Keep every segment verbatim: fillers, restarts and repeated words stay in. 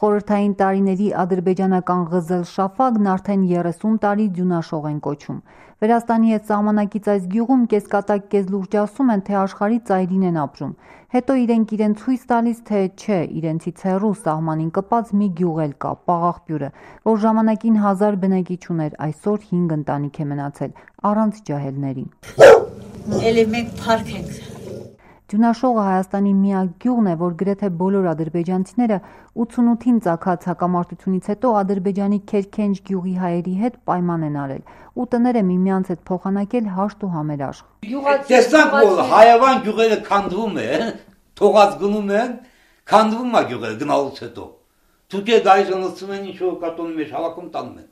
Խորհրդային տարիների ադրբեջանական Ղզել Շաֆագն արդեն երեսուն տարի Ձյունաշող են կոչում։ Վրաստանի հետ սահմանակից այս գյուղում կեսկատակ կեզլուրջ ասում են, թե աշխարհի ծայրին են ապրում։ Հետո իրենք իրենց ցույց տալիս, թե չէ, իրենցից հեռու սահմանին կպած մի գյուղ էլ կա, Պաղաղբյուրը, որ ժամանակին հազար բնակիչ ուներ, այսօր հինգ ընտանիք է մնացել, առանց ջահելների։ Էլի մենք փառք ենք։ Ձյունաշողը Հայաստանի միակ գյուղն է, որ գրեթե բոլոր ադրբեջանցիները ութսունութին ծագած հակամարտությունից հետո Ադրբեջանի Քերքենջ գյուղի հայերի հետ պայման են արել ու տները միմյանց հետ փոխանակել հաշտ ու համերաշխ։ Տեսանք, որ հայավան գյուղերը քանդվում են, թողած գնում են, քանդվում է գյուղերը գնալուց հետո։ Թուրքերը գայս անցնում են, ինչ որ կատոնի մեջ հավաքում տանում են։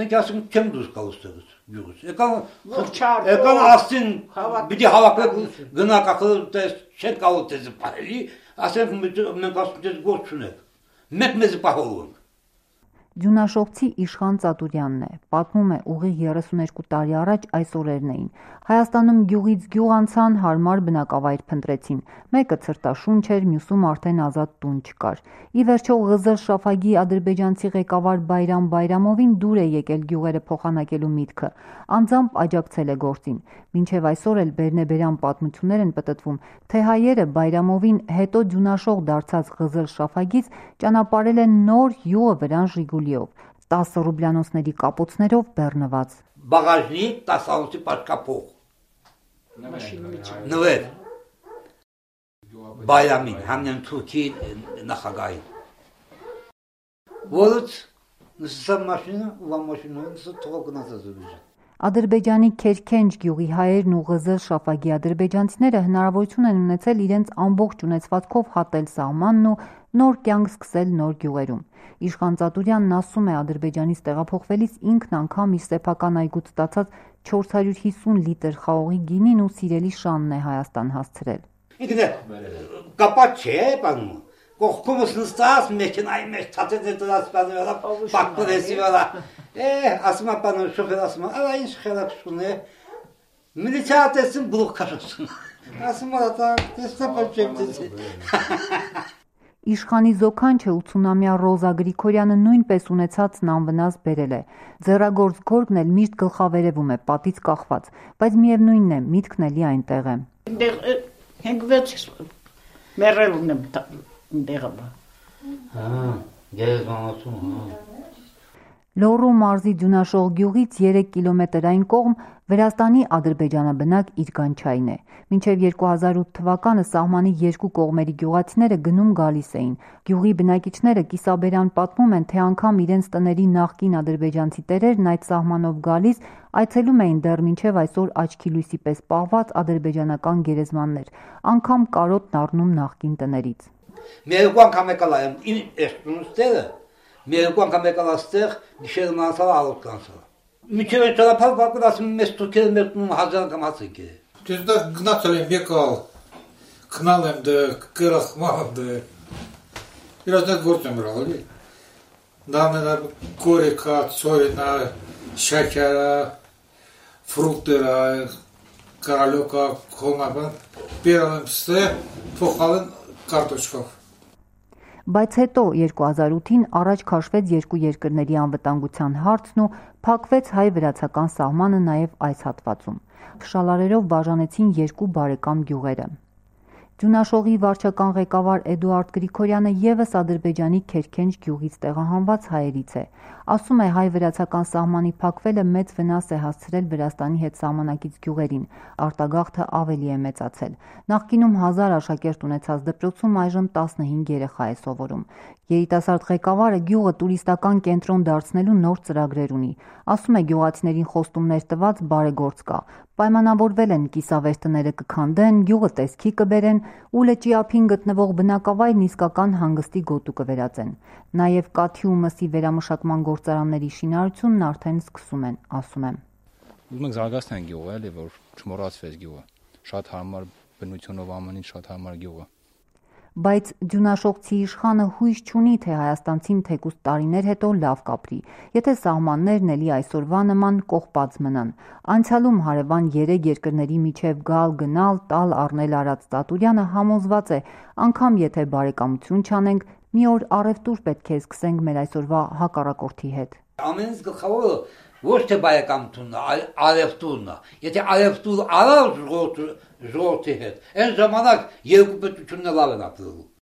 Մենք ասում ենք չեմ դուրս գալու ստեղից գյուղից։ Եկան եկան ասին պիտի հավաքեք գնաք ախր դες չեք գալու դες բարելի, ասենք մենք ասում դες գործ չունենք։ Մեկ մեզ պահում։ Ձյունաշողցի Իշխան Ծատուրյանն է, պատմում է ուղիղ երեսուներկու տարի առաջ այս օրերն էին։ Հայաստանում գյուղից գյուղ անցան, հարմար բնակավայր փնտրեցին։ Մեկը ցրտաշունչ էր, մյուսում արդեն ազատ տուն չկար։ Ի վերջո Ղզել Շաֆագի ադրբեջանցի ղեկավար Բայրամ Բայրամովին դուր է եկել գյուղերը փոխանակելու միտքը։ Անձամբ աջակցել է գործին։ Մինչև այսօր էլ բերնեբերան պատմություններ են պտտվում, թե հայերը Բայրամովին հետո Ձյունաշող դարձած Ղզել Շաֆագից ճանապարհել են նոր յուղը վրան Ժիգուլիով, տասը ռուբլյանոցների կապոցներով բեռնված։ Բաղաժնի տասանոցի պաշկապող։ Նվեր։ Բայրամին, համնեն Թուրքի նախագահին։ Որից նսա մաշինա, ուվա մաշինա, նսա թողա գնացած ուժը։ Ադրբեջանի Քերքենջ գյուղի հայերն ու Ղզել Շաֆագի ադրբեջանցիները հնարավորություն են ունեցել իրենց ամբողջ ունեցվածքով հատել սահմանն ու նոր կյանք սկսել նոր գյուղերում։ Իշխան Ծատուրյանն ասում է, Ադրբեջանից տեղափոխվելիս ինքն անգամ իր սեփական այգուց ստացած չորս հարյուր հիսուն լիտր խաղողի գինին ու սիրելի շանն է Հայաստան հասցրել։ Ինքն է կապած չէ, բանում։ Կողքումս նստած մեքենայի մեջ ցածեց դրած բանվելա պակտորեսի վրա։ Է, ասում է բանը շոֆեր ասում է, «Ալա ինչ խելացություն է»։ Միլիցիա տեսին բլոկ քաշում։ Ասում է, «Դա տեսնապ չեմ»։ Իշխանի զոքանչը ութսունամյա Ռոզա Գրիգորյանը նույնպես ունեցածն անվնաս բերել է։ Ձեռագործ գորգն էլ միշտ գլխավերևում է, պատից կախված, բայց միևնույնն է, միտքն էլի այնտեղ է։ Հենգվեց մերելուն եմ տեղը։ Հա, գերեզմանոցում, հա։ Լոռու մարզի Ձյունաշող գյուղից երեք կիլոմետր այն կողմ Վրաստանի ադրբեջանաբնակ Իրկանչային է։ Մինչև երկու հազար ութ թվականը սահմանի երկու կողմերի գյուղացիները գնում գալիս էին։ Գյուղի բնակիչները կիսաբերան պատմում են, թե անգամ իրենց տների նախկին ադրբեջանցի տերերն այդ սահմանով գալիս այցելում էին դեռ մինչև այսօր աչքի լույսի պես պահված ադրբեջանական գերեզմաններ, անգամ կարոտն առնում նախկին տներից։ Մեր անգամ եկալ եմ ինստիտուտը Մերկու անգամ եկալ աստեղ գիշերը մանսալ ալոտ կանսալ։ Միջև այդ ճանապարհ բակում ասում մեզ թուրքերը մերտնում հազար անգամ ասենք է։ Դες դա գնացել եմ եկալ, քնալ եմ դե, կրախման դե։ Իրաց դա գործ եմ գրալ, էլի։ Դա կորեկա, ծորենա, շաքարա, ֆրուկտերա, կարալոկա, խոմաբան, բերալ եմ ստե, փոխալ եմ կարտոչկով։ Բայց հետո երկու հազար ութին առաջ քաշվեց երկու երկրների անվտանգության հարցն ու փակվեց հայ-վրացական սահմանը նաև այս հատվածում։ Շալարերով բաժանեցին երկու բարեկամ գյուղերը։ Ձյունաշողի վարչական ղեկավար Էդուարդ Գրիգորյանը ևս Ադրբեջանի Քերքենջ գյուղից տեղահանված հայերից է։ Ասում է, հայ-վրացական սահմանի փակվելը մեծ վնաս է հասցրել Վրաստանի հետ սահմանակից գյուղերին, արտագաղթը ավելի է մեծացել։ Նախկինում հազար աշակերտ ունեցած դպրոցում այժմ տասնհինգ երեխա է սովորում։ Երիտասարդ ղեկավարը գյուղը տուրիստական կենտրոն դարձնելու նոր ծրագրեր ունի։ Ասում է, գյուղացիներին խոստումներ տված բարեգործ կա։ Պայմանավորվել են կիսավեր տները կքանդեն, գյուղը տեսքի կբերեն ու լճի ափին գտնվող բնակավայրն իսկական հանգստի գոտու կվերածեն։ Նաև կաթի ու մսի վերամշակման գործարանների շինարարությունն արդեն սկսում են, ասում եմ։ Ուզում ենք զարգացնել գյուղը, էլի, որ չմոռացվեց գյուղը։ Շատ հարմար բնությունով ամենից շատ հարմար գյուղը։ Բայց Ձյունաշողցի իշխանը հույս չունի, թե հայաստանցին թեկուզ տարիներ հետո լավ կապրի, եթե սահմաններն էլի այսօրվա նման կողպած մնան։ Անցյալում հարևան երեք երկրների միջև գալ, գնալ, տալ, առնել արած Ծատուրյանը համոզված է, անգամ եթե բարեկամություն չանենք, Մի օր առևտուր պետք է սկսենք մեր այսօրվա հակառակորդի հետ։ Ամենից գլխավորը ոչ թե բարեկամությունն է, այլ առևտուրն է։ Եթե առևտուր արավ ժողովրդի հետ, այն ժամանակ երկու պետությունն լավ են ապրելու։